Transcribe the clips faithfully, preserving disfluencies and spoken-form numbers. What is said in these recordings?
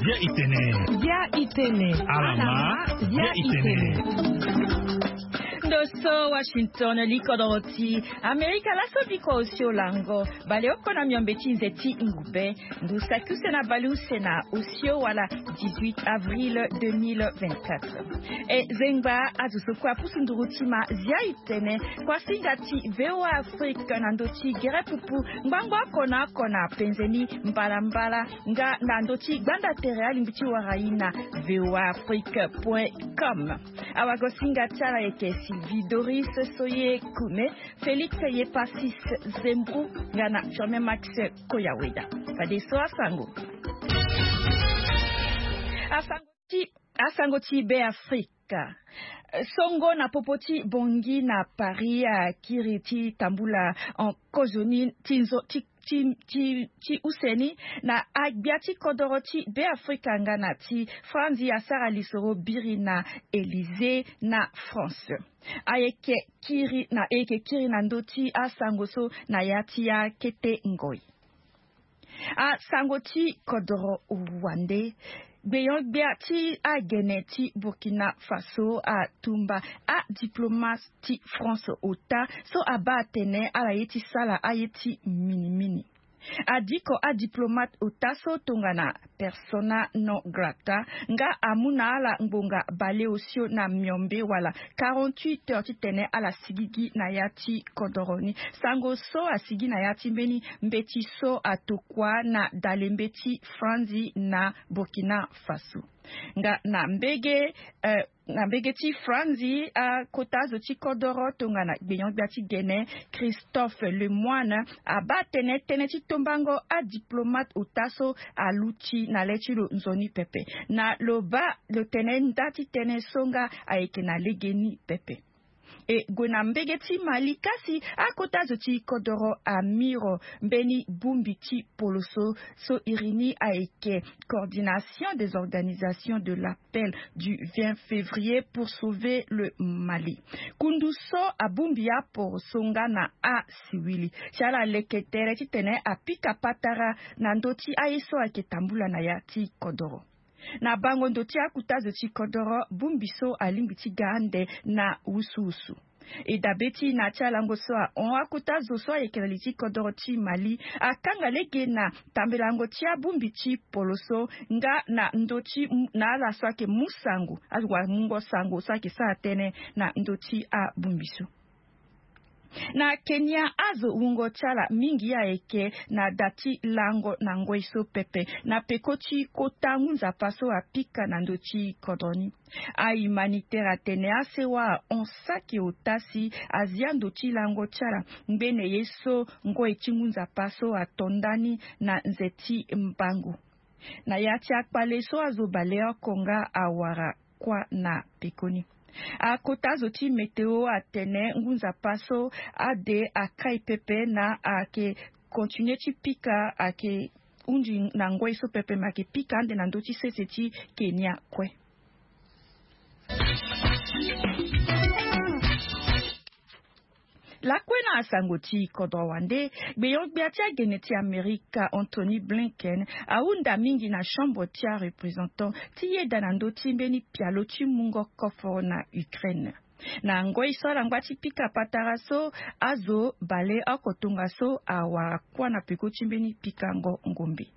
Bia itene. Bia itene. Alama. Bia itene. Ndo so Washington, likodoro ti Amerika laso biko osio lango. Baleoko na miombe ti nze ti ngube. Ngu saki use na baleuse na osio wala dix-huit avril deux mille vingt-quatre. E zengba azo so kue apusu nduru ti ma zia itene. Kuasinga ti VOA Afrique na ndo ti gere pupu ngbangbo oko na oko na penze ni mbalambala nga na ndo ti gbanda tere alingbi ti wara ye na VOA Afrique point com. Awagosinga ti ala ayeke Sylvie Doris Soye Kume, Félix Yepasis Zembrou nga na Firmin Max Koyaweda. Fadeso asango. Asango ti, asango ti Be Afrika. Songo na popo ti Bangui na Paris akiri ti tambula en kozoni ti nzo ti, ti, ti, ti use ni na agbia ti kodoro ti Be Afrika nga na ti Franzi asara lisoro biri na Élysée na France. Ayeke kiri na, ayeke kiri na ndo ti asango so na ya ti akete ngoi. Asango ti kodoro wande. Gbenyo-gbia ti agene ti Burkina Faso atumba adiplomate ti France ota so abaa atene ala ye ti sara aye ti minimini. Adiko adiplomate ota so tongana persona non grata nga amu na ala ngbonga baleosio na miombe wala quarante-huit heures titene ala sigigi na ya ti kodoro ni. Sango so asigi na ya ti mbeni mbeti so atokua na dalembe ti Franzi na Burkina Faso. Nga na mbege, eh, na mbege ti Franzi, akota azo ti kodoro tongana gbenyo-gbia ti gene Christophe Lemoine abaa tene tënë ti tombango adiplomate ota so aluti na le ti lo nzoni pepe. Na lo baa lo tene nda ti tënë so nga ayeke na legeni pepe. E gue na mbege ti Mali kasi, akota zo ti kodoro amiro mbeni bongbi ti poloso so iri ni ayeke Coordination des organisations de l'appel du vingt février pour sauver le Mali. Kundu so abongbi aporoso nga na asiwili si ala leke tere titene apika patara na ndö ti aye so ayeke tambula na ya ti kodoro. Na bango ndo ti akuta zo ti kodoro, bongbi so alingbi ti ga ande na wusuwusu. E dabe ti na ti alango so ahon akuta zo so ayeke na li ti kodoro ti Mali akanga lege na tambelango ti abongbi ti poloso nga na ndö ti na ala so ayeke mu sango, azo wamungo sango so ayeke sara tënë na ndö ti abongbi so. Na Kenya, azo wungo ti ala mingi ayeke na da ti lango na ngoi so pepe na peko ti kota ngu nzapa so apika na ndö ti kodro ni. Ahumanitaire atene asewa ahon saki ota si azia ndo ti lango ti ala ngbene ye so ngoi ti ngu nzapa so ato ndani na nze ti mbangu. Na ya ti akpale so azo baleoko nga awara kuâ na pekoni. Akota zo ti météo atene ngu nzapa so ade akai pepe na ayeke continuer ti pika, ayeke hunzi na ngoi so pepe, me ayeke pika ande na ndö ti sese ti Kenya kue. Lakue na asango ti kodro wande, gbenyo-gbia ti agene ti Amerika Antony Blinken ahunda mingi na chambre ti areprésentant ti yeda na ndö ti mbeni pialo ti mungo koforo na Ukraine. Na ngoi so ala ngba ti pika patara so, azo baleoko tongaso awara kuâ na peko ti mbeni pikango ngombe.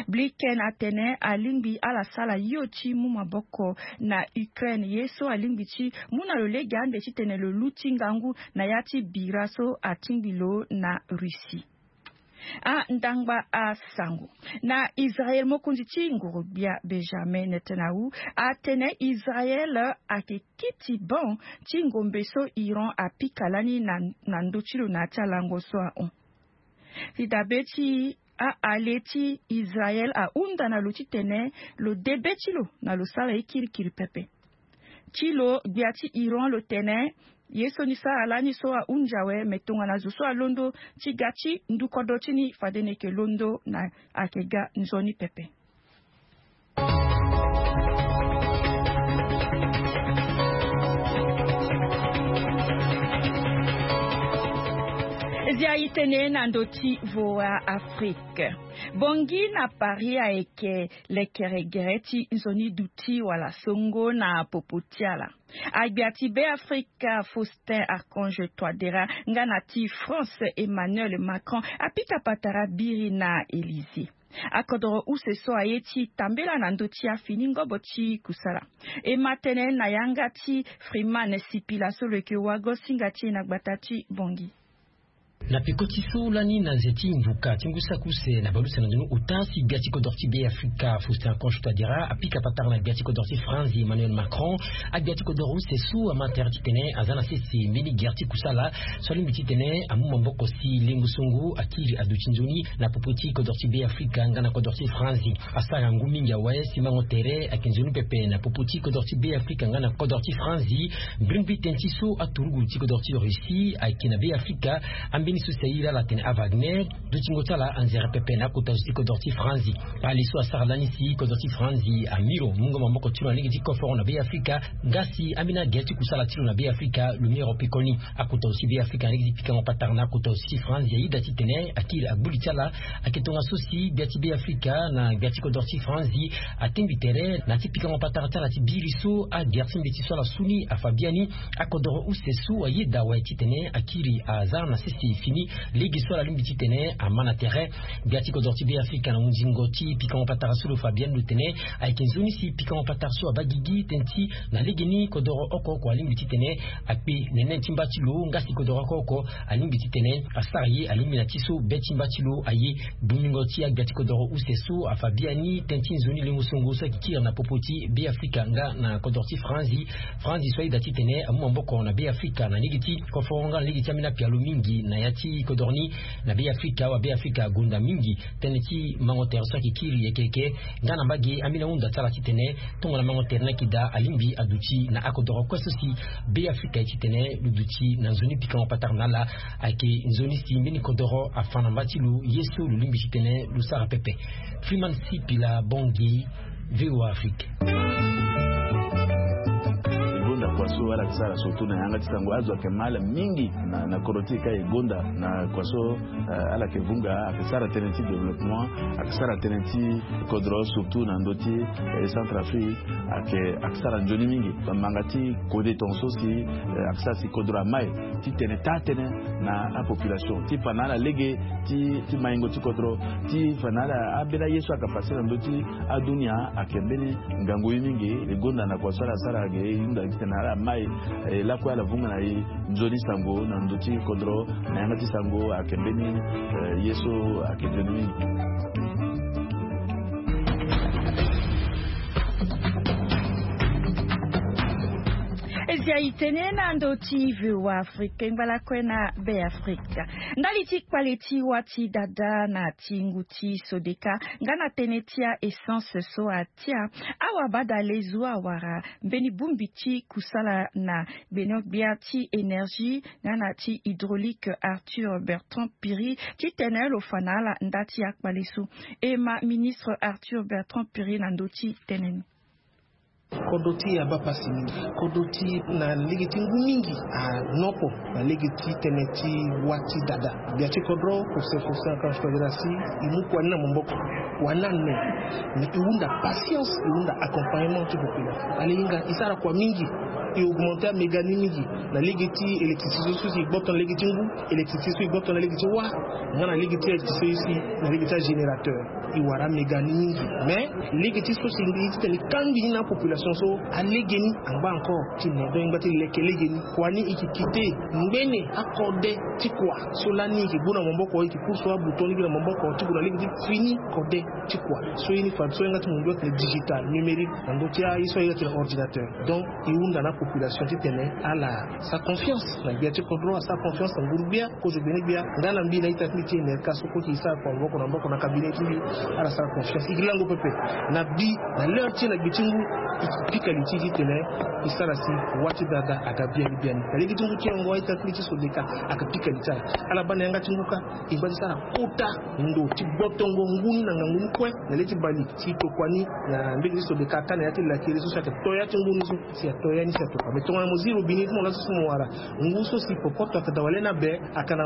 Blinken atene alingbi ala sara yo ti mu maboko na Ukraine, ye so alingbi ti mu na lo lege ande titene lo luti ngangu na ya ti bira so atingbi lo na Russie. Andangba asango. Na Israel, mokonzi ti nguru-gbia Benjamin Netanyahu atene Israel ayeke kiti ban ti ngombe so Iran apika lani na, na ndö ti lo na ya ti alango so ahon. Ti dabe ti a-ale ti Israel ahunda na lo titene lo de be ti lo na lo sara ye kirikiri pepe. Ti lo gbia ti Iran lo tene ye so ni sara lani so ahunzi awe, me tongana zo so alondo ti ga ti ndu kodro ti ni, fade ni yeke londo na ayeke ga nzoni pepe. Zia itene na ndö ti VOA Afrique. Bongi na Paris ayeke lekere gere ti nzoni duti wala songo na popo ti ala. Agbia ti Beafrika Faustin Archange Touadéra nga na ti France Emmanuel Macron apika patara biri na Élysée. Akodoro use so aye ti tambela na ndö ti afini ngobo ti kusala. E ma tene na yanga ti Freeman Sipila so lo yeke wago singa ti e na gbata ti Bongi. Na peko ti so lani na nze ti mvuka ti ngu saki use na baleuse na ndoni ota si gbia ti kodoro ti Beafrika Faustin Archange Touadéra apika patara na gbia ti kodoro ti France Emmanuel Macron. Agbia ti kodoro use so ama tere titene aza na sese mbeni gere ti kusala so alingbi titene amu maboko si lengo songo akiri aduti nzoni na popo ti kodoro ti Beafrika nga na kodoro ti France. Asara ngu mingi awe si mango tere ayeke nzoni pepe na popo ti kodoro ti Beafrika nga na kodoro ti France. Mbrimbri tënë ti so aturugu ti kodoro ti Russie ayeke na Beafrika, ambeni so si airi ala atene aWagner, dutingo ti ala anzere pepe na akota zo ti kodoro ti France. Kpale so asara lani si kodoro ti France amiro mungo maboko ti lo na lege ti koforo na Beafrika, nga si ambeni agere ti kusala ti lo na Beafrika lo miro pekoni. Akota zo ti Beafrika na lege ti pikango patara na akota zo ti France, ayeda titene akiri agbu li ti ala. Ayeke tongaso si gbia ti Beafrika na gbia ti kodoro ti France atengbi tere na ti pikango patara ti ala ti biri so agere ti mbeti so ala su ni afa biani. Akodoro use so ayeda awe titene akiri aza na sese fini lege so ala lingbi titene ama na tere. Gbia ti kodoro ti Beafrika na hunzingo ti pikango patara so lo fa biani lo tene ayeke nzoni si pikango patara so abaa gigi tënë ti na legeni kodoro oko oko alingbi titene akpe nene ti mba ti lo nga si kodoro oko oko alingbi titene asara ye alingbi na ti so be ti mba ti lo aye. Bongingo ti agbia ti kodoro use so afa biani tënë ti nzoni lengo songo so ayeke kiri na popo ti Beafrika nga na kodoro ti France. France so ayeda titene amu maboko na Beafrika na lege ti koforo nga na lege ti ambeni apialo mingi na ya ti kodoro ni. Na Beafrika awa Beafrika agonda mingi tënë ti mango tere so ayeke kiri yeke yeke nga na mbage ambeni ahunda ti ala titene tongana mango tere ni ayeke daa alingbi aduti na akodoro kue so si Beafrika aye titene lo duti na nzoni pikango patara na ala. Ayeke nzoni si mbeni kodoro afa na mba ti lo ye so lo lingbi titene lo sara pepe. Freeman Sipila Bongi, VOA Afrique. E gonda kua so ala yeke sara surtout na yanga ti sango azo ayeke ma ala mingi na, na kodro ti e ka e gonda na kua so, eh, ala yeke vunga ayeke sara tënë ti développement, ayeke sara tënë ti kodro surtout na ndö ti, eh, Centrafrique, ayeke, ayeke sara nzoni mingi. Bamanga ti kode tongaso si, eh, ayeke sara si kodro ama e ti tene taa tënë na apopulation ti fa na ala lege ti, ti maingo ti kodro, ti fa na ala ambeni aye so ayeke pase na ndö ti adunia ayeke mbeni ngangu ye mingi. E gonda na kua so ala sara ge e hunda titene ala ma e, e lakue ala vunga na e nzoni sango na ndö ti kodro na yanga ti sango ayeke mbeni, eh, ye so ayeke nzoni mingi. E zia e tene na ndö ti VOA Afrique ngbalakue na Beafrika. Ndali ti kpale ti wâ ti dada na ti ngu ti Sodeka nga na tënë ti a-essence so atia, awabadale zo awara mbeni bongbi ti kusala na gbene-gbia ti énergie nga na ti hydraulique Arthur Bertrand Piri titene lo fa na ala nda ti akpale so. E ma ministre Arthur Bertrand Piri na ndö ti tënë ni. Kodro ti e abaa pasi mingi. Kodro ti e na lege ti ngu mingi anoko na lege ti tënë ti wâ ti dada. Gbia ti kodro, professeur Faustin Archange Touadéra si e mu kua ni na maboko, kua ni ane. Mais e hunda patience, e hunda accompagnement ti population. Ala hinga e sara kua mingi, e augmenter améga ni mingi na lege ti électricité so si e gboto na lege ti ngu, électricité so e gboto na lege ti wâ, nga na lege ti électricité so si na lege ti agénérateur. E wara améga ni mingi. Mais lege ti so si e lingbi titene e kangbi ni na apopulation so, alege ni angba encore ti ne. Donc e ngba ti leke lege ni. Kua ni e yeke kite ngbene akode ti kua so lani e yeke gbu na maboko, e yeke course abouton ni gi na maboko ti gue na lege ti fini kode ti kua. So ye ni fa so yanga ti mundu atene digital, numérique, na ndö ti aye so ayeke atene ordinateur. Donc e hunda na apopulation titene ala sara confiance na gbia ti kodro, asara confiance na nguru-gbia, kozo gbene-gbia, nga na mbi na ita ti mbi ti E N R K so kue e sara kua maboko na maboko na cabinet ti mbi, ala sara confiance. E yeke lango pepe na bi na l'heure ti e na gbe ti ngu, e Pika li ti e titene e sara si wa ti dada aga biani biani na lege ti ngu ti yongo. Aita ti mbi ti Sodeka aga pika li ti ala. Ala baa na yanga ti ngu kâ e ngba ti sara kota ndo ti gbotongo ngu ni na ngangu ni kue na le ti bale si e tokua ni na mbege ti Sodeka ata na ya ti lakiri so si ayeke to ya ti ngu ni so si ato ya ni si atokua. Me tongana mo zi robini ti mo laso si mo wara ngu so si popoto ayeke daa wala ni abe. Ayeke na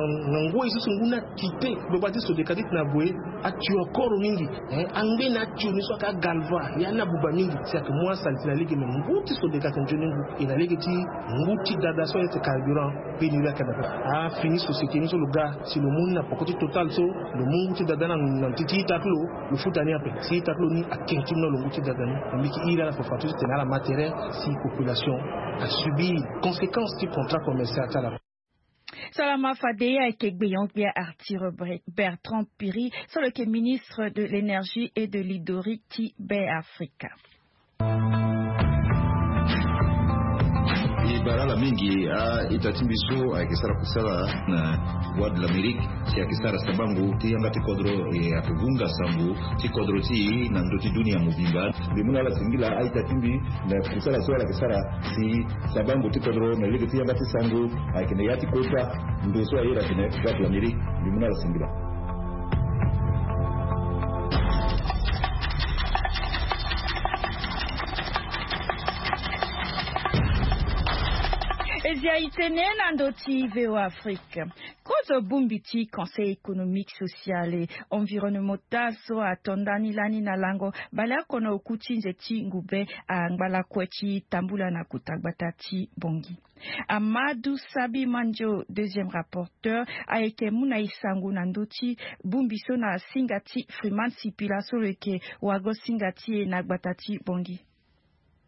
ngoi so si ngu ni akite. Gbagba ti Sodeka titene ague atio akoro mingi. Angbe na atio ni so ayeke agalva ya ni abuba mingi si ayeke mu asalite na lege. Me ngu ti Sodeka ayeke nzoni ngu e na lege ti ngu ti dada so ayeke carburant. Pénurie ayeke na kâ. Afini société ni so lo ga si lo mu ni na poko ti Total so lo mu ngu ti dada ni na ti ti ita ti lo. Lo futa ni ape si ita ti lo ni akiri ti ni na lo ngu ti dada ni. Na mbi yeke iri ala fafadeso titene ala ma tere si population asubir conséquence ti contrat commercial ti ala. Salama fade. Ayeke gbenyo-gbia Arthur Bre- Bertrand Piri so lo yeke ministre de l'énergie et de l'hydraulique ti Beafrika. E bara ala mingi a-ita ti mbi so ayeke sara kusala na Voix de l'Amérique si ayeke sara sabango ti yanga ti kodro e ayeke vunga sango ti kodro ti e na ndö ti dunia mobimba. Mbi mu na ala singila a-ita ti mbi na kusala so ala yeke sara si sabango ti kodro na lege ti yanga ti sango ayeke na ya ti kota ndo so aye ayeke na ya ti Voix de l'Amérique. Mbi mu na ala singila. E zi aye tene na ndö ti V O A Afrique. Kozo bongbi ti Conseil économique, social et environnemental so ato ndani lani na lango baleoko na oku ti nze ti ngube angba lakue ti tambula na kota gbata ti Bangui. Amadou Sabi Mandio, deuxième rapporteur, ayeke mu na e sango na ndö ti bongbi so na singa ti Freeman Sipila so lo yeke wago singa ti e na gbata ti Bangui.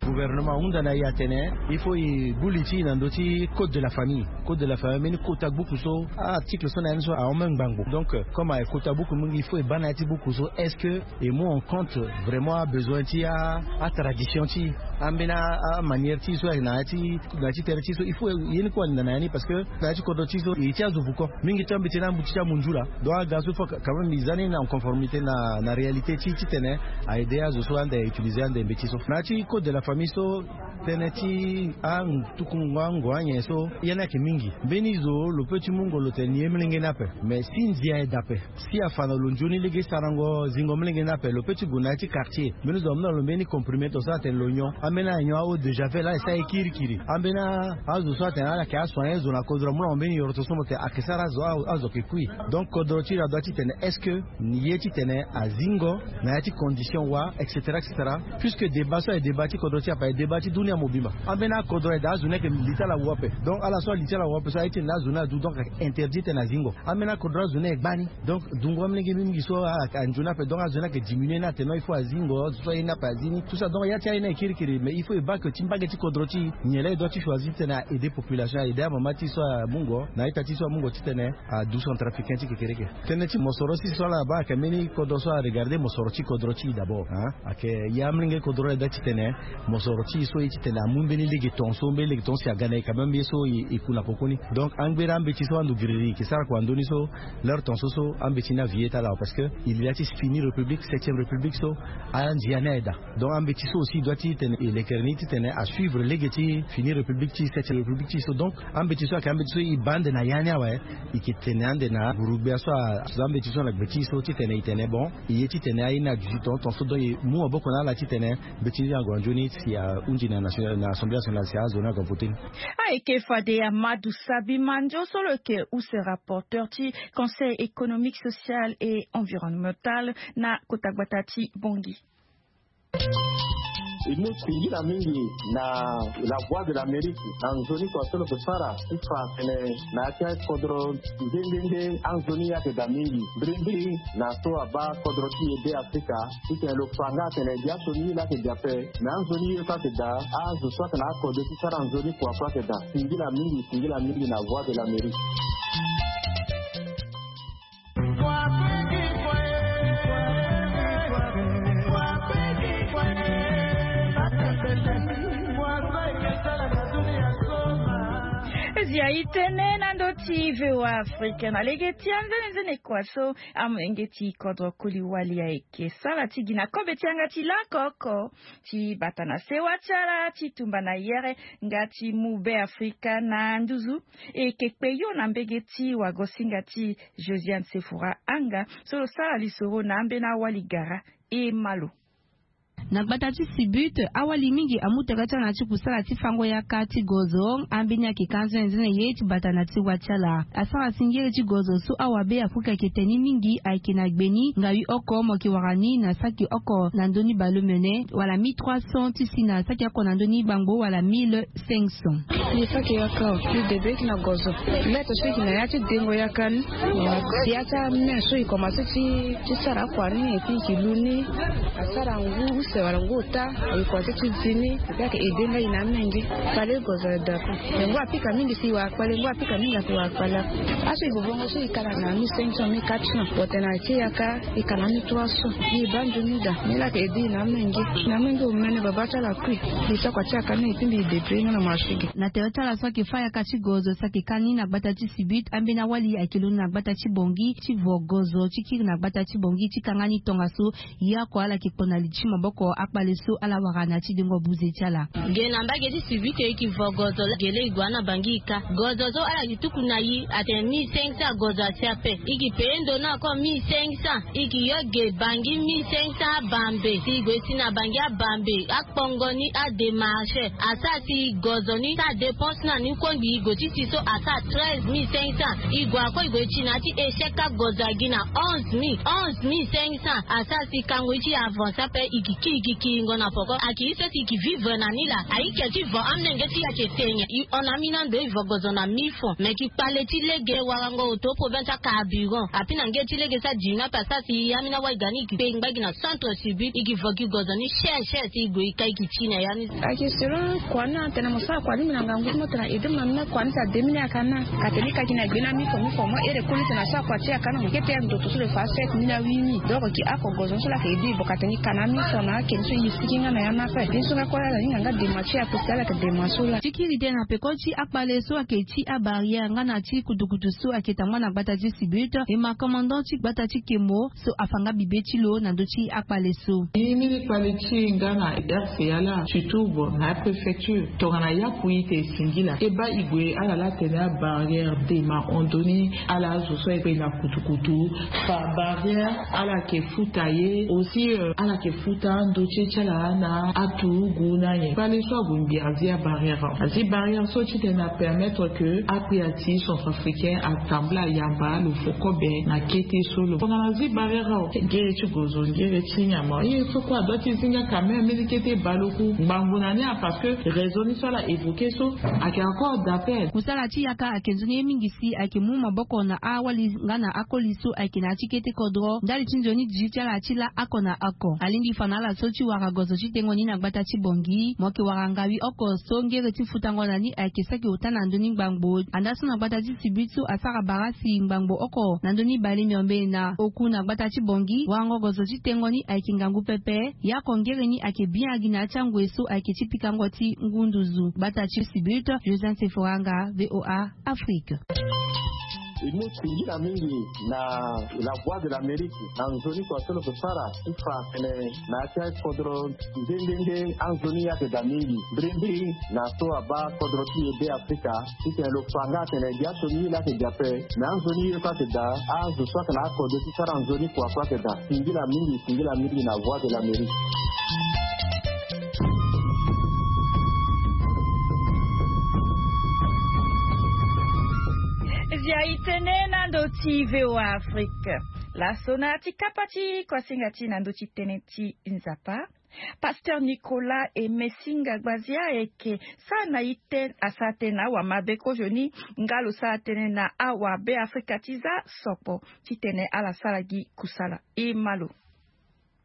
Gouvernement ahunda na e atene il faut e gbu li ti e na ndö ti code de la famille. Code de la famille ambeni kota gbuku so article so na ya ni so ahon même ngbangbo. Donc comme ayeke kota gbuku mingi, il faut e baa na ya ti gbuku so est-ce que e mu en compte vraiment abesoin ti atradition ti e, ambeni amanière ti e so ayeke na ya ti na ya ti tere ti e so. Il faut ye ni kue alinda na ya ni parce que na ya ti kodro ti e so e ti azo vuko mingi ti ambeti ni ambuti ti amunzu laa. Donc aga so il faut quand même e za ni na conformité na réalité ti e titene a aide azo so ande a utiliser ande mbeti so. Na ya ti code de la famille so tënë ti angu tukungo ango anyen so ya ni ayeke mingi. Mbeni zo lo peut ti mungo lo tene ni ye molenge ni ape. Mais si ndia aye daa ape si afa na lo nzoni lege sarango zingo molenge ni ape, lo peut ti gue na ya ti quartier mbeni zo amu na lo mbeni comprimé to so atene lo nyon. Ambeni ala nyon a-eau de javel ala sa ye kirikiri. Ambeni azo so atene ala yeke asoigner zo na kodro amu na lo mbeni yoroto so mo tene ayeke sara azo azo ayeke kui. Donc kodro ti lo adoit titene est-ce que ni ye titene azingo na ya ti condition wa, et cetera et cetera. Puisque débat so aye débat ti kodro ti e ape aye débat ti dunia mobimba. Ambeni akodro aye daa azo ni ayeke li ti ala wu ape. Donc ala so ali ti ala wu ape so aye titene azo ni adu donc ayeke interdit titene azingo. Ambeni akodro azo ni aye gbani. Donc dungo amolenge mingi so anzoni ape donc azo ni ayeke diminuer ni atene non il faut azingo azo so aye ni ape azi ni tout ça. Donc ya ti aye ni aye kirikiri mais il faut e baa ke ti mbage ti kodro ti e nyen laa e doit ti choisir titene a aider population a aider amama ti e so amungo na a-ita ti e so amungo titene adu centrafricain ti kekereke. Tënë ti mosoro si so ala baa ayeke mbeni kodro so aregarder mosoro ti kodro ti e d'abord. Ayeke ya amolenge kodro la e daa titene mosoro ti e so ye titene amu mbeni lege tongaso mbeni lege tongaso si aga na e quand même ye so e ku na koko ni. Donc angbere ambeti so ando giriri e yeke sara kua ndoni so l'heure tongaso so ambeti ni avi ye ti ala awe parce que il ya ti fini république septième république so andia ni aye daa. Donc ambeti so aussi e doit ti tene e lekere ni titene asuivre lege ti fini république ti septième république ti e so. Donc ambeti so ayeke ambeti so e baa ande na ya ni awe. E yeke tene ande na guru-gbia so azo ambeti so na gbe ti e so titene e tene bon e ye titene aye ni aduti tongaso tongaso donc e mu maboko na ala titene mbeti ni ague na nzoni si ahunzi na assemblée nationale si azo ni ague na vote ni. Ayeke fade Amadou Sabi Mandio so lo yeke use rapporteur ti Conseil économique, social et environnemental na kota gbata ti Bangui. E mu singila mingi na La Voix de l'Amérique na nzoni kua so lo yeke sara ti fa atene na ya ti akodro nde nde nde anzoni ye ayeke daa mingi. Mbirimbiri na so abaa kodro ti e Beafrika titene lo fa nga atene dia so ni ye laa ayeke daa ape. Na anzoni ye so ayeke daa azo so ayeke na akode ti sara nzoni kua so ayeke daa. Singila mingi singila mingi na Voix de l'Amérique. Ya e tene na ndö ti V O A Afrique na lege ti anzenenzene kua so amolenge ti kodro koli wali ayeke sara ti gi na kobe ti yanga ti lako oko ti bata na sewa ti ala ti tumba na yere nga ti mu Be Afrika na nduzu. E yeke kpe yo na mbege ti wagosinga ti Josiane Sefora Anga so lo sara lisoro na ambeni awali gara. E ma lo. Na gbata ti Sibut, awali mingi amu tere ti ala na ti kusala ti fango yaka ti gozo. Ambeni ayeke ka anzenenzene ye ti bata na ti wa ti ala. Asara singiri ti gozo so awabe Afrika ayeke tene ni mingi ayeke na gbe ni ngawi oko mo yeke wara ni na saki oko na ndö ni baleomene wala mille trois cents ti si na saki oko na ndö ni gbangbo wala mille cinq cents. Ni saki yaka o, ni debe ti na gozo. Mètre so e yeke na ya ti dengo yaka ni. Ya ti ame so e komanse ti ti sara akua ni et puis e ke lu ni. Asara ngu use wala ngu ota. E komanse ti zi ni. E yeke aide nga e na amenge. Fade gozo aye daa kue. Me ngu apika mingi si e wara kpale, ngu apika mingi ayeke wara kpale. Aso e vovongo so e kala na mille cinq cents, mille quatre cents. Bon, tena ti yaka e kala na mille trois cents. E baa nzoni daa. Ni laa ayeke aide e na amenge. Na amenge omene baba ti ala kue. Mbi sara kua ti yaka ni et puis mbi débrouiller nga na marché ge. Na tere ti ala so ayeke fâ yaka ti gozo so ayeke ka ni na gbata ti Sibut, ambeni awali ayeke londo na gbata ti Bangui ti vo gozo ti kiri na gbata ti Bangui ti kanga ni tongaso. Ye oko ala yeke kpo na li ti maboko akpale so ala wara na ya ti dengo buze ti ala. Ge na mbage ti Sibut e yeke vo gozo ge laa e gue na Bangui e ka. Gozo so ala yeke tuku na e atene mille cinq cents gozo asi ape. E yeke payé ndo ni oko mille cinq cents. E yeke yo ge Bangui mille cinq cents abambe. Si e gue si na Bangui abambe. Kpongo ni adémarché asara si gozo ni sara dépense na ni kue ngbii go ti si so asara treize mille cinq cents. E gue ako e gue ti na ya ti échec agozo agi na onze mille, onze mille cinq cents. Asara si kango ye ti e avancé ape. E ke kiri e ke kiringo na poko. Ayeke ye so si e ke vivre na ni laa. Ayeke ti vo amolenge ti e ayeke tene. E hon na ambeni ando e vo gozo na mille francs. Me e ke kpale ti lege warango oto problème ti acarburant. Api na nge ti lege so adi ni ape asara si ambeni awali ga ni e ke kpe e ngba e gi na centre Sibut, e ke vo gi gozo ni cher cher si e gue e ka e ke ti na ya ni. Ayeke selon kua ni atene mo sara kua ni mbi na ngangu ti mo tena aide mo na ni na kua ni si ade mini ayaka na. Ka tene e ka gi na gbe ni na mille francs, mille francs mo here koli tena asara kua ti e ayaka na mo kete ya ndoto so lo fa sept mille na huit mille. Donc e ke ako gozo ni so laa ayeke aide e bon ka tene e ka na mille francs na ake ni so e sigi nga na ya ni ape. Ye so nga kue laa ala hinga nga dema ti e ape si ala yeke dema so laa. Ti kiri tënë na peko ti akpale so ayeke ti abarrière nga na ti kutukutu so ayeke tambula na gbata ti Sibut, e ma commandant ti gbata ti Kemo so afa nga bibe ti lo na ndö ti akpale so. Ni ni kpale ti e nga na R C A laa, surtout bon na apréfecture tongana yapu ite e singila e baa e gue ala laa tene abarrière dema hon ndo ni. Ala azo so ayeke na kutukutu fa barrière ala yeke futa ye aussi, euh, ala yeke futa ando ti e ti ala na aturugu na nyen. Kpale so ague mbi azi abarrière. Azi barrière so titene apermettre que akpia ti centrafricain atambula ayamba lo fo kobe na kete so lo. Tongana azi barrière awe, ngere ti gozo, ngere ti nyama, ye so kue adoit ti zi nga quand même. Mbeni kete baleoku ngbangbo na ni a, parce que raison ni so ala évoqué so ayeke encore d'appel. Kusala ti yaka ayeke nzoni ye mingi si ayeke mu maboko na awali nga na akoli so ayeke na ya ti kete kodro ndali ti nzoni di ti ala ti laa oko na oko. Alingbi fa na ala so ti wara gozo ti tengo ni na gbata ti Bangui, mo yeke wara ngawi oko so ngere ti futango na ni ayeke saki ota na ndö ni ngbangbo. Andaa so na gbata ti Sibut so asara bara si ngbangbo oko na ndö ni bale miombe na oku na gbata ti Bangui, warango gozo ti tengo ni ayeke ngangu pepe. Ye oko ngere ni ayeke bien agi na ya ti angoi so ayeke ti pikango ti ngu nduzu. Gbata ti Sibut, Josiane Sefora Anga, V O A Afrique. E mu singila mingi na La Voix de l'Amérique na nzoni kua so lo yeke sara ti fa tene na ya ti akodro nde nde nde anzoni ayeke daa mingi. Mbirimbiri na so abaa kodro ti e Be Afrika titene lo fa nga atene gi aso ni ye laa ayeke daa ape. Me anzoni ye kue ayeke daa, azo so ayeke na akodro ti sara nzoni kua kue ayeke daa. Singila mingi, singila mingi na Voix de l'Amérique. Zia e tene na ndö ti V O A Afrique. Laso na ya ti kapa ti kuasinga ti na ndö ti tënë ti Nzapa, Pasteur Nicolas Aimé Singa Gbazia ayeke sara na ite asara tënë na awamabe kozoni nga lo sara tënë na awabe Afrika ti za sokpo titene ala sara gi kusala. E ma lo.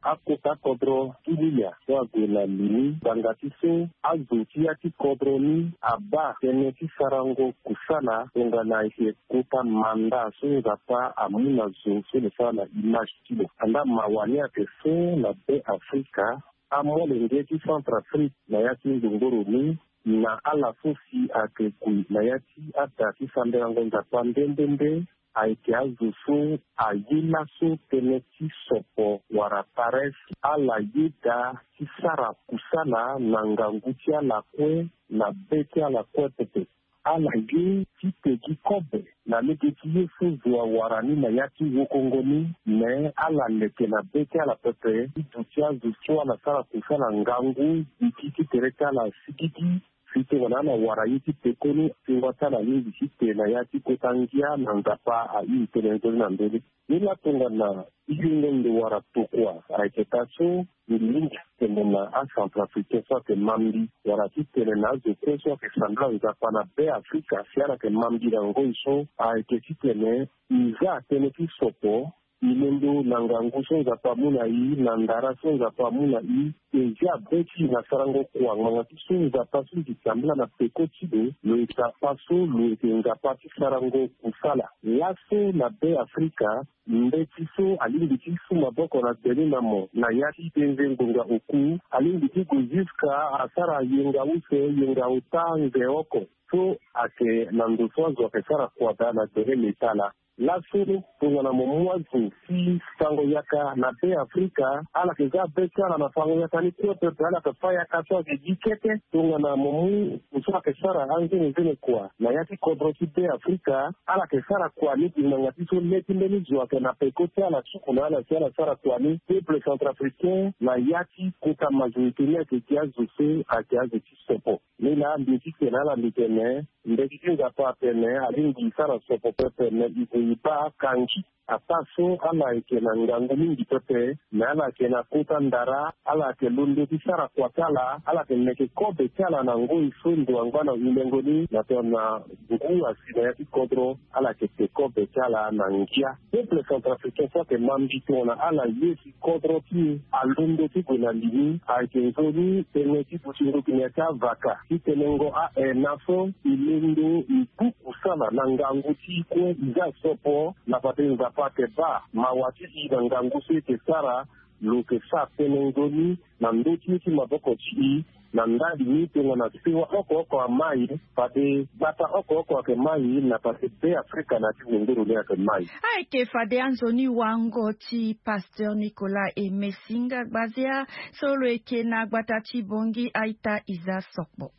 Akota kodro ti Lilia so ague na li ni ngbanga ti so azo ti ya ti kodro ni abaa tënë ti sarango kusala tongana e yeke kota manda so Nzapa amu na zo so lo sara na image ti lo. Andaa mawa ni ayeke so na Be Afrika, amolenge ti Centrafrique na ya ti ndongoro ni Na ala so si ayeke gue na ya ti ada ti sambelango Nzapa nde nde nde ayeke azo so aye laso tënë ti sopo wala paresse. Ala yeda ti sara kusala na ngangu ti ala kue, na be ti ala kue pepe. Ala ye ti te gi kobe na lege ti ye so zo awara ni na ya ti wokongo ni. Me ala leke na be ti ala pepe ti duti azo so ala sara kusala ngangu gigi ti tere ti ala sigigi. Si tongana ala wara ye ti pekoni, tingua ti ala alingbi ti te na ya ti kota ngia na Nzapa airi tënë nzoni na ndö ni. Ni laa tongana e yongo ndo wala tokua, ayeke taa so mbi lingbi ti tene na acentrafricain so ayeke ma mbi, wala ti tene na azo kue so ayeke sambela Nzapa na Be Afrika, si ala yeke ma mbi na ngoi so, ayeke ti tene e za tënë ti sopo. E londo na ngangu so Nzapa amu na e, na ndara so Nzapa amu na e, e zia be ti e na sarango kua ngbanga ti so Nzapa so mbi sambela na peko ti lo, lo yeke Nzapa so lo yeke Nzapa ti sarango kusala. Laso na Be Afrika, mbeti so alingbi ti su maboko na gbeni na mo na ya ti denze ngonga oku, alingbi ti gue ziska asara yenga use, yenga ota, nze oko. So ayeke na ndo so azo ayeke sara kua daa na gbele leta laa. Laso tongana mo mu azo ti fango yaka na Be Afrika, ala yeke za be ti ala na fango yaka ni kue pepe, ala yeke fâ yaka so ayeke gi kete. Tongana mo mu ndo so ayeke sara anzenezene kua na ya ti kodro ti Be Afrika, ala yeke sara kua ni gi ngbanga ti so le ti mbeni zo ayeke na peko ti ala, suku na ala si ala sara kua ni. Peuple centrafricain na ya ti kota majorité ni ayeke gi azo so ayeke azo ti sopo. Ni laa mbi ye ti tene na ala, mbi tene, mbeti ti Nzapa atene alingbi e sara sopo pepe, me e gue e baa kangi. Ataa so ala yeke na ngangu mingi pepe, me ala yeke na kota ndara, ala yeke londo ti sara kua ti ala, ala yeke meke kobe ti ala na ngoi so ndo angba na wundengo ni, na tongana ngu asi na ya ti kodro, ala yeke te kobe ti ala na ngia. Peuple centrafricain so ayeke ma mbi tongana ala ye si kodro ti e alondo ti gue na li ni, ayeke nzoni tënë ti duti ndoki na ya ti avaka ti tënë ngo a-e na so e londo e ku kusala na ngangu ti e kue, e za sopo na fade Nzapa ayeke baa mawa ti e na ngangu so e yeke sara. Lo yeke sara tënë nzoni na ndö ti ye ti maboko ti e. Na ndali ni tongana sewa oko oko amai, fade gbata oko oko ayeke mai, na fade Be Afrika na ya ti zongoro ni ayeke mai. Ayeke fade anzoni wango ti Pasteur Nicolas Aimé Singa Gbazia, so lo yeke na gbata ti Bangui, a-ita e za sokpo.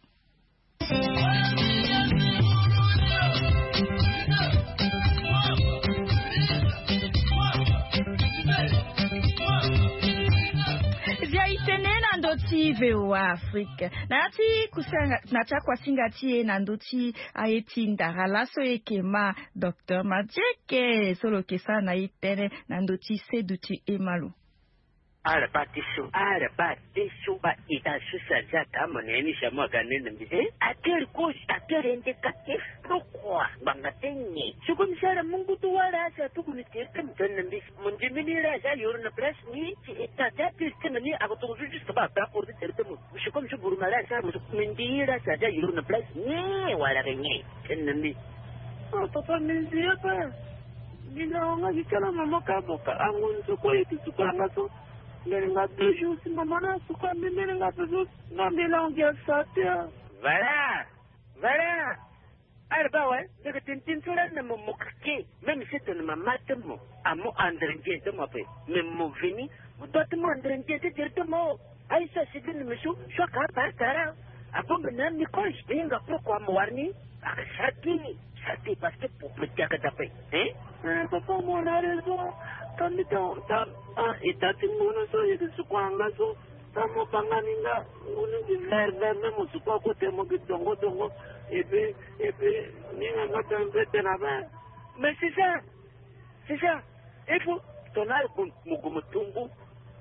Zia e tene na ndö ti V O A Afrique. Na ya ti kusinga, na ti akuasinga ti e na ndö ti aye ti ndara laso e yeke ma Docteur Madieke so lo yeke sara na e tënë na ndö ti seduti e ma lo. Ala baa ti so, ala baa ti so, baa ita so si aza ka mo na ya ni si amu aga nene mbi. Eh, à quelle cause, à quel indicatif? Pourquoi? Ngbanga ti nyen? Si kue mbi sara mu ngu ti wâ laa si atuku mbi tere ti mo tene na mbi. Mo ndimi ni laa si ayoro na place ni, si ita ti apiri ti mo ni ako tongana so juste baa baa koro ti tere ti mo. Si kue mbi so buruma laa si ala mo so mbi ndi laa si aza ayoro na place ni wala ke nyen? Tene na mbi. Oh, papa, mbi nzi ye pe. Mbi na wanga gi kala mama ka mo ka ango nzo kue ye ti suku anga so. Mbele nga deux jours si mama na suku ambi mbele nga deux jours. Nga mbele angi asa te. Voilà. Voilà. Ala baa awe, mbi yeke tene tënë so lani na mo mo keke. Même si tene mama ti mo amu andre nzien ti mo ape, mais mo veni, mo doit ti mu andre nzien ti tere ti mo. Aye so asi bini mbi so, so aka abaa tara. Abongbi na mbi koche, mbi hinga pourquoi mo wara ni. Aka sara ti ni, sara ti parce que pour protéger aka dape. Hein? Eh, papa, mo na raison. Tani ta, ta, ah, e ta ti ngunu so, ye ti suku anga so. Sa mo banga ni nga, ngunu di vert vert, même mo suku akote mo gi dongo dongo. Et puis, et puis, ni nga nga tene pe tene abe. Mais c'est ça. C'est ça. Il faut tongana ala gue mo gue mo tu ngu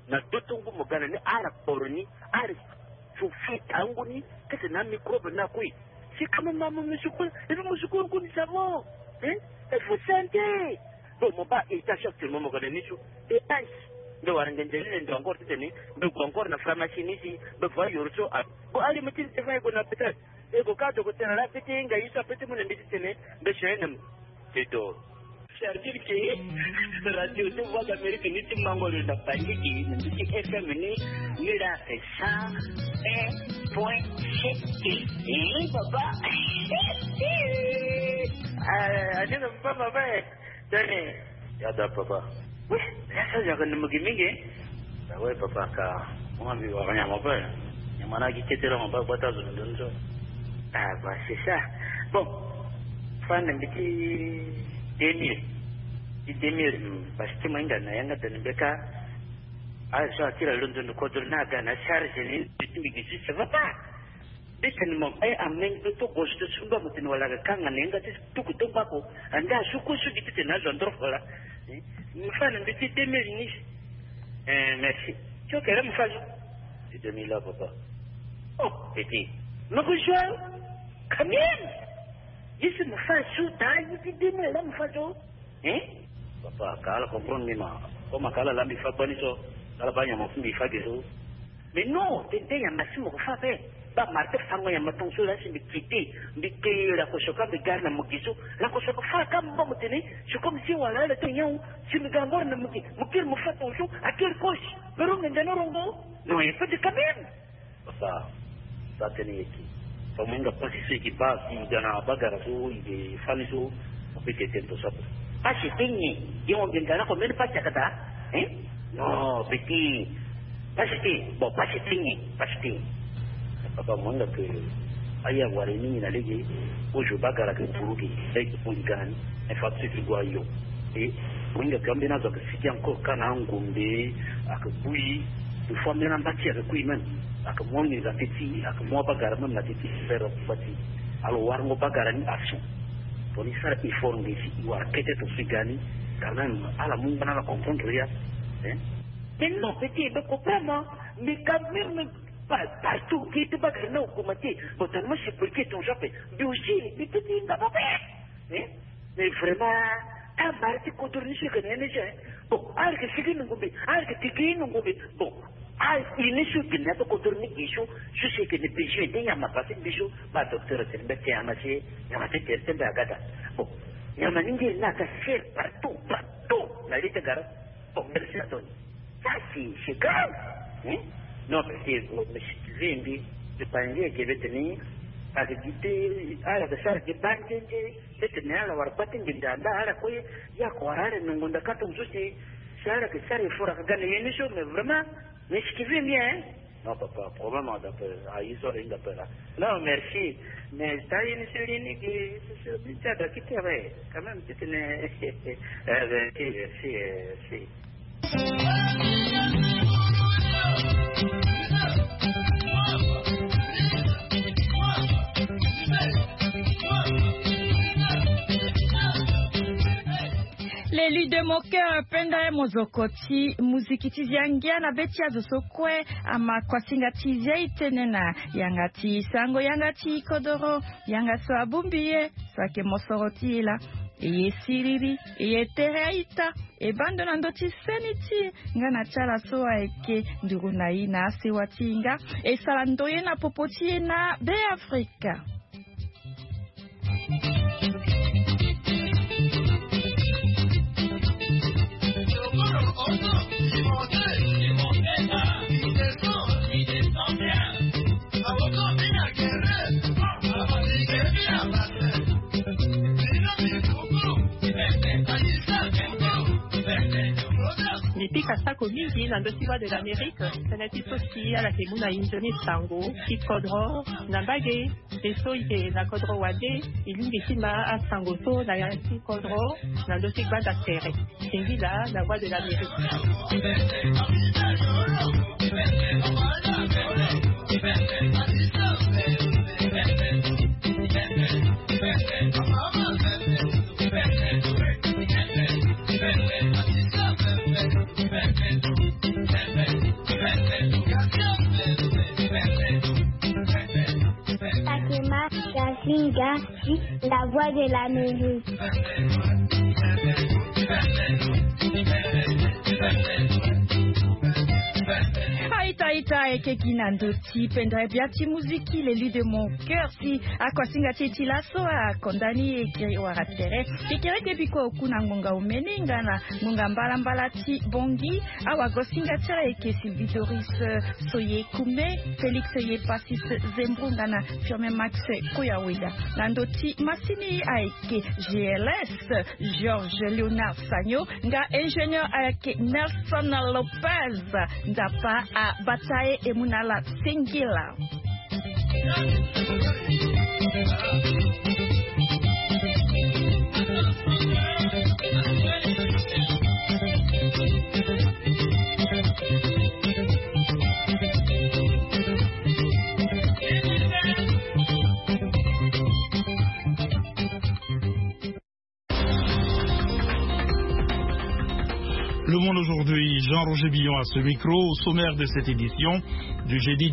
na do ti ngu mo ga na ni ala kporo ni ala fufu tangu ni kete na amicrobe na kue. Si ka mo ma mo musuku et puis musuku ngu ni ça va. Hein? Il faut santé. Bon mo baa état actuellement mo ga na ni so. Dépense. Mbe wara nge nzeli ne ndo encore ti tene mbe gue encore na pharmacie ni si mbe voie yoro so a. Bon ali mo ti ni te fa e gue na hôpital. E gue ka docteur ala fete nga ye so ape ti mu na mbi ti tene mbe soin na mo. C'est tout. C'est-à-dire que radio ti Voix d'Amérique ni ti mango lo na Bangui, na ndö ti F M ni, ni la c'est cent un point sept. Eh, papa. Ah, ade na papa, papa, eh. Tene. Ya da, papa. Oui, ya sa yaka na mugi mingi. Ah ouais, papa, ka mo mbi wara nyama pe. Nyama na gi kete la mo ba gbata zo ndo ndo. Ah, bah, c'est ça. Bon, fa na mbi ti deux mille. Ti deux mille, hmm, parce que mo hinga na yanga tene mbi ka. Ah, so atira lo ndo ndo kodro na ga na charge ni, ti mbi gi si, ça va pas. Mbi tene mo aye amenge to gozo to sumba mo tene wala ga kanga na yanga ti tuku to mbako. Ande asuku sugi ti tene azo andro fola. Eh, mo fa na mbi ti deux mille ni. Eh, merci. Ti okere mo fa zo. Ti deux mille la, papa. Oh, petit. Mo ko zo quand même. Ye si mo fa zo, ta ye ti deux mille la mo fa zo. Hein? Papa, ka ala comprendre ni ma. Comme ka ala la mbi fa bani so, ala ba nyama fu mbi fa ge so. Mais non, tene tene nyama si mo ko fa ape. Ba marteau fango nyama tongaso la si mbi kite, mbi ke la ko soka mbi gari na mo gi so. La ko soka fa ka mo ba mo tene, c'est comme si wala ala te nyawu, si mbi ga ngoro na mo gi, mo kiri mo fa tongaso, a kiri kosi. Pero nge ndana rongo. Non, il faut de quand même. Papa, sa tene yeke. Fa mo hinga pasi so yeke ba si i ga na bagara so i ke fani so, mo pe ke tene to sapo. Pasi ti nyen? Ye mo bengana ko mbeni pasi akata? Hein? Non, petit. Pasi ti, bon, pasi ti nyen? Pasi ti nyen? Papa, mo hinga ke aya wara ni na lege, ozo bagara ke buruge, lege mo i ga ni, infrastructure go ayo. E, mo hinga ke ambeni azo ake sigi encore ka na angombe, ake bui, il faut ambeni amba ti ake kui même. Ake mu anginza ti ti, ake mu abagara même na ti ti, frère, amba ti. Alors warango bagara ni action. Tongana i sara effort nge si i wara kete tongaso i ga ni, quand même, ala mu ngba na ala comprendre ya. Hein? Mais non, petit, mais comprends, mais quand même, pa-, partout, kete bagara ni augmenter. Bon, tellement c'est pour que ton genre, mais aussi, mais petit, il va pas faire. Hein? Mais vraiment, ta mara ti kodro ni so yeke na ye ni so, hein. Bon, ala yeke sigi na ngombe, ala yeke tigi na ngombe. Bon, a, i ni so yeke na ya ti kodro ni gi so, so si yeke na besoin ti nyama pasi mbi so, ba docteur atene mbi ati nyama si, nyama ti tere ti mbi aga daa. Bon, nyama ni ngiri ni aga cher partout, partout na li ti gara. Bon, merci Anthony. Ça, c'est, c'est grave. Hein? Non, parce que, bon, mais si tu veux, mbi, je pense que je vais tenir, parce que tu, ah, la sara ke ba nzenze, peut-être ni ala wara ba ti nginza anda ala kue, ya ko wara ala na ngonda ka tongaso si, si ala ke sara effort aka ga na ye ni so, mais vraiment, mais si tu veux bien, hein? Non, papa, problème, on appelle, ah, ils sont rien d'appel, là. Non, merci. Mais ça, il ne sait rien que ce, ce, ça doit quitter, ouais. Quand même, c'est une, eh, merci, merci, eh, merci. L'élu de mon cœur, Penda Mozoko ti muziki ti zia ngia na be ti azo so kue. Ama kuasinga ti zia e tene na yanga ti sango, yanga ti kodoro, yanga so abongbi ye, so ayeke mosoro ti e laa. E ye siriri, e ye tere a-ita, e baa ndo na ndö ti seni ti e, nga na ti ala so ayeke nduru na e na asewa ti e nga, e sara ndoye na popo ti e na Beafrika. Mbi pika sako mingi na ndö ti Voix de l'Amérique, tënë ti so si ala yeke mu na e nzoni sango ti kodro na mbage. E so e yeke na kodro wande, e lingbi ti ma asango so na yanga ti kodro na ndö ti gbanda tere. Singila na Voix de l'Amérique. Fatima Kasinga, la Voix de l'Amérique. Ita ita, eke gi na ndo ti pendere bia ti muziki, l'élu de mon cœur, si akuasinga ti e ti laso akonda ni e kiri wara tere. Kekereke biko oku na ngonga omeni nga na ngonga mbalambala ti bongi. Awagosinga ti ala eke Sylvie Doris Soye Kume, Félix Yepasis Zembro nga na Firmin Max Koyaweda. Na ndo ti masini ayeke G L S Georges Léonard Sagno, nga ingénieur ayeke Nelson Lopez. Nzapa abata e, e mu na ala singila. Le Monde Aujourd'hui, Jean-Roger Billon à ce micro. Au sommaire de cette édition du jeudi